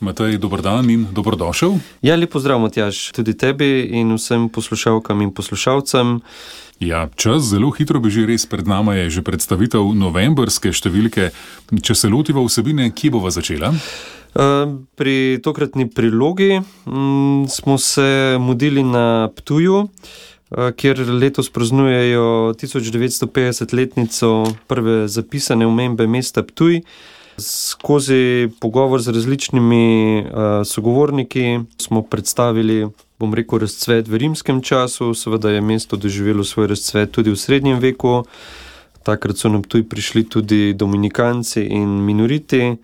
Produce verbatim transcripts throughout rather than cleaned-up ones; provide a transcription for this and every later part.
Matej, dober dan in dobrodošel. Ja, lep pozdrav, Matjaž, tudi tebi in vsem poslušalkam in poslušalcem. Ja, čas zelo hitro beži, res pred nama je že predstavitev novembrske številke. Če se lotiva vsebine, kje bova začela? Pri tokratni prilogi smo se mudili na Ptuju, kjer letos praznujejo tisoč devetsto petdesetletnico prve zapisane omembe mesta Ptuj. Skozi pogovor z različnimi uh, sogovorniki smo predstavili, bom rekel, razcvet v rimskem času, seveda je mesto doživelo svoj razcvet tudi v srednjem veku. Takrat so na Ptuj prišli tudi dominikanci in minoriti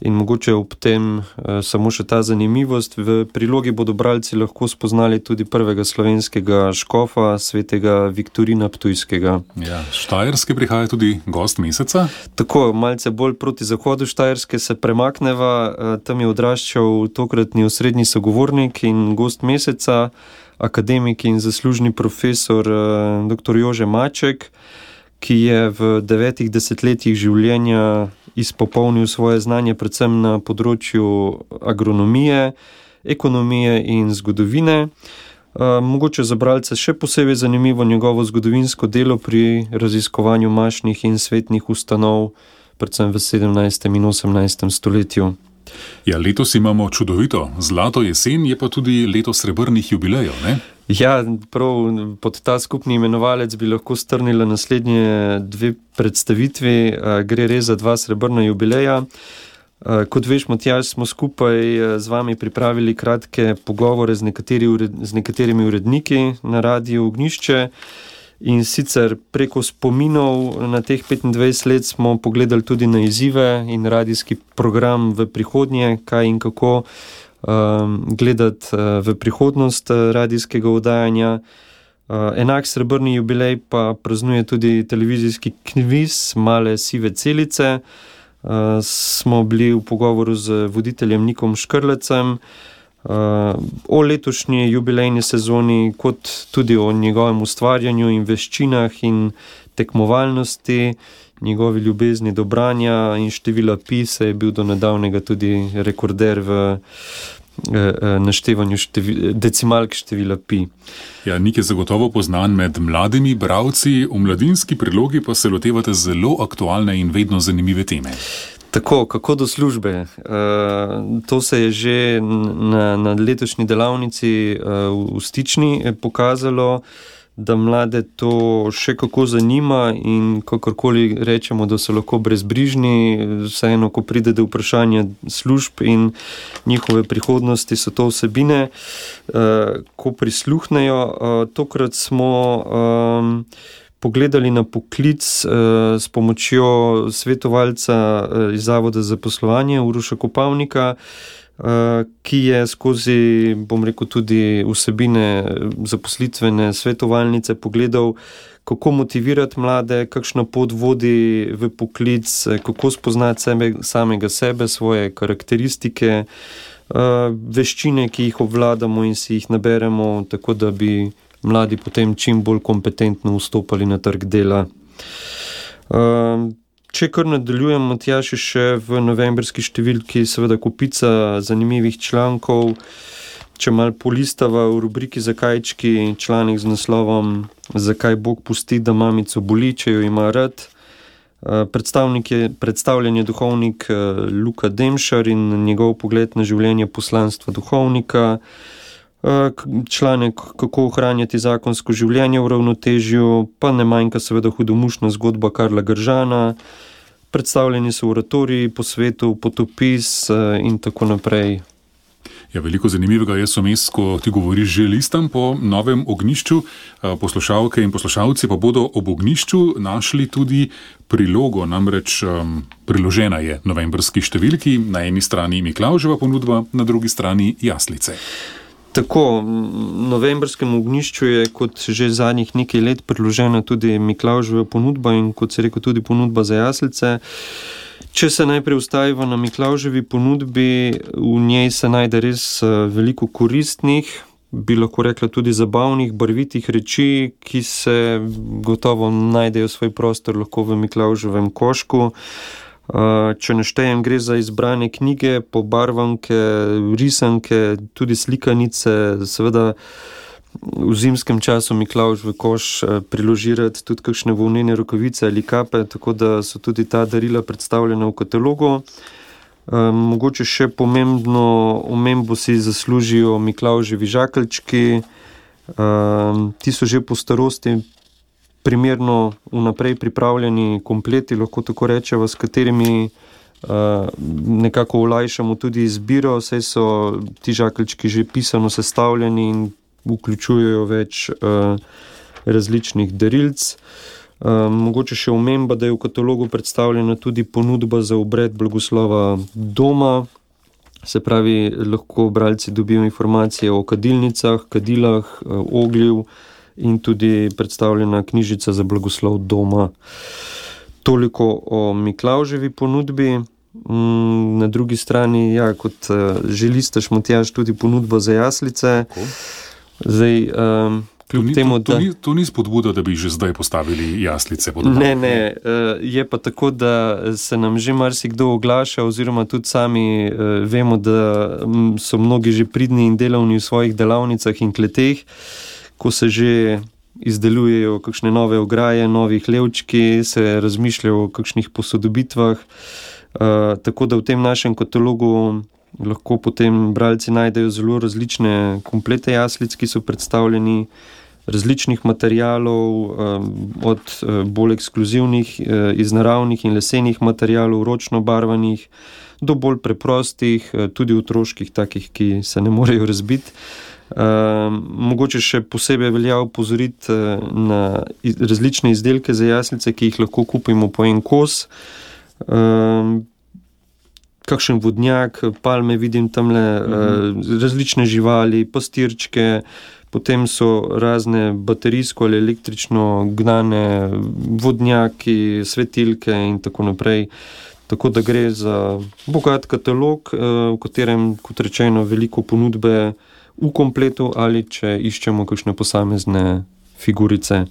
in mogoče ob tem uh, samo še ta zanimivost. V prilogi bodo bralci lahko spoznali tudi prvega slovenskega škofa, svetega Viktorina Ptujskega. Ja, Štajerske prihaja tudi gost meseca. Tako, malce bolj proti zahodu Štajerske se premakneva, tam je odraščal tokratni osrednji sogovornik in gost meseca, akademik in zaslužni profesor dr. Jože Maček, ki je v devetih desetletjih življenja izpopolnil svoje znanje predvsem na področju agronomije, ekonomije in zgodovine. Mogoče za bralce še posebej zanimivo njegovo zgodovinsko delo pri raziskovanju mašnih in svetnih ustanov, predvsem v sedemnajstem in osemnajstem stoletju. Ja, letos imamo čudovito zlato jesen, je pa tudi leto srebrnih jubilejev, ne? Ja, prav pod ta skupni imenovalec bi lahko strnila naslednje dve predstavitvi. Gre res za dva srebrna jubileja. Kot veš, Matjaž, smo skupaj z vami pripravili kratke pogovore z, nekateri, z nekaterimi uredniki na Radiu Ognjišče. In sicer preko spominov na teh petindvajset let smo pogledali tudi na izzive in radijski program v prihodnje, kaj in kako um, gledati uh, v prihodnost uh, radijskega oddajanja. Uh, enak srebrni jubilej pa praznuje tudi televizijski kviz Male sive celice. Uh, smo bili v pogovoru z voditeljem Nikom Škrlecem. Uh, o letošnji jubilejni sezoni, kot tudi o njegovem ustvarjanju in veščinah in tekmovalnosti, njegovi ljubezni do branja in števila pi, se je bil do nedavnega tudi rekorder v uh, naštevanju števi, decimalk števila pi. Ja, Nik je zagotovo poznan med mladimi bralci, v mladinski prilogi pa se lotevate zelo aktualne in vedno zanimive teme. Tako, kako do službe. E, to se je že na, na letošnji delavnici e, v Stični pokazalo, da mlade to še kako zanima in kakorkoli rečemo, da so lahko brezbrižni, vseeno, ko pride do vprašanja služb in njihove prihodnosti, so to vsebine, e, ko prisluhnejo. E, tokrat smo e, pogledali na poklic eh, s pomočjo svetovalca eh, iz Zavoda za zaposlovanje Uroša Kopavnika, eh, ki je skozi, bom rekel, tudi vsebine zaposlitvene svetovalnice pogledal, kako motivirati mlade, kakšna pot vodi v poklic, kako spoznati sebe, samega sebe, svoje karakteristike, eh, veščine, ki jih obvladamo in si jih naberemo, tako da bi mladi potem čim bolj kompetentno vstopali na trg dela. Če kar nadaljujem, Matjaž, še v novembrski številki seveda kupica zanimivih člankov. Če mal polistava v rubriki Zakajčki članek z naslovom Zakaj Bog pusti, da mamico boli, če jo ima rad. Predstavnik je, predstavljen je duhovnik Luka Demšar in njegov pogled na življenje poslanstva duhovnika. Članek, kako ohranjati zakonsko življenje v ravnotežju, pa ne manjka seveda hudomušna zgodba Karla Gržana, predstavljeni so oratoriji po svetu, potopis in tako naprej. Ja, veliko zanimivega je vmes, ko ti govoriš, že listam po novem ognjišču. Poslušalke in poslušalci pa bodo ob ognjišču našli tudi prilogo, namreč um, priložena je novembrski številki, na eni strani Miklavževa ponudba, na drugi strani jaslice. Tako, novembrskemu ognjišču je kot že zadnjih nekaj let priložena tudi Miklavževa ponudba in kot se rekel tudi ponudba za jaslice. Če se najprej ustaviva na Miklavževi ponudbi, v njej se najde res veliko koristnih, bi lahko rekla tudi zabavnih, barvitih reči, ki se gotovo najdejo svoj prostor lahko v Miklavževem košku. Če naštejem, gre za izbrane knjige, pobarvanke, risanke, tudi slikanice, seveda v zimskem času Miklavž v koš priložirati tudi kakšne volnene rokavice ali kape, tako da so tudi ta darila predstavljena v katalogu. Mogoče še pomembno omembo si zaslužijo Miklavževi žakeljčki. Ti so že po starosti primerno vnaprej pripravljeni kompleti, lahko tako rečemo, s katerimi uh, nekako olajšamo tudi izbiro, saj so ti žakeljčki že pisano sestavljeni in vključujejo več uh, različnih darilc. Uh, mogoče še omemba, da je v katalogu predstavljena tudi ponudba za obred blagoslova doma, se pravi, lahko bralci dobijo informacije o kadilnicah, kadilah, uh, oglju, in tudi predstavljena knjižica za blagoslov doma. Toliko o Miklavževi ponudbi. Na drugi strani, ja, kot želistaš, Matjaž, tudi ponudba za jaslice. Zdaj, um, to, ni, temu, to, to, da... ni, to ni spodbuda, da bi že zdaj postavili jaslice. Ne, ne. Je pa tako, da se nam že marsikdo oglaša, oziroma tudi sami vemo, da so mnogi že pridni in delavni v svojih delavnicah in kleteh, ko se že izdelujejo kakšne nove ograje, novi hlevčki, se razmišljajo o kakšnih posodobitvah. Uh, tako da v tem našem katalogu lahko potem bralci najdejo zelo različne komplete jaslic, ki so predstavljeni različnih materialov, um, od uh, bolj ekskluzivnih, uh, iz naravnih in lesenih materialov, ročno barvanih, do bolj preprostih, uh, tudi otroških, takih, ki se ne morejo razbiti. Uh, mogoče še posebej velja opozoriti uh, na iz, različne izdelke za jaslice, ki jih lahko kupimo po en kos. Uh, kakšen vodnjak, palme vidim tamle, uh-huh. uh, različne živali, pastirčke, potem so razne baterijsko ali električno gnane vodnjaki, svetilke in tako naprej. Tako da gre za bogat katalog, uh, v katerem, kot rečeno, veliko ponudbe v kompletu ali če iščemo kakšne posamezne figurice.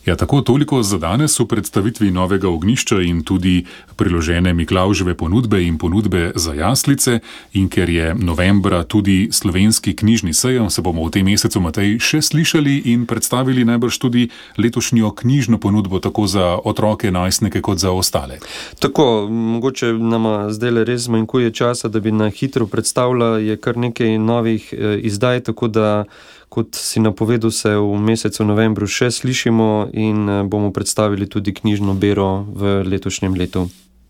Ja, tako toliko za danes v predstavitvi novega ognjišča in tudi priložene Miklavževe ponudbe in ponudbe za jaslice. In ker je novembra tudi slovenski knjižni sejem, se bomo v tem mesecu, Matej, še slišali in predstavili najbrž tudi letošnjo knjižno ponudbo tako za otroke, najstnike kot za ostale. Tako, mogoče nama zdaj res zmanjkuje časa, da bi na hitro predstavila, je kar nekaj novih eh, izdaj, tako da kot si napovedal, se v mesecu novembru še slišimo in bomo predstavili tudi knjižno bero v letošnjem letu.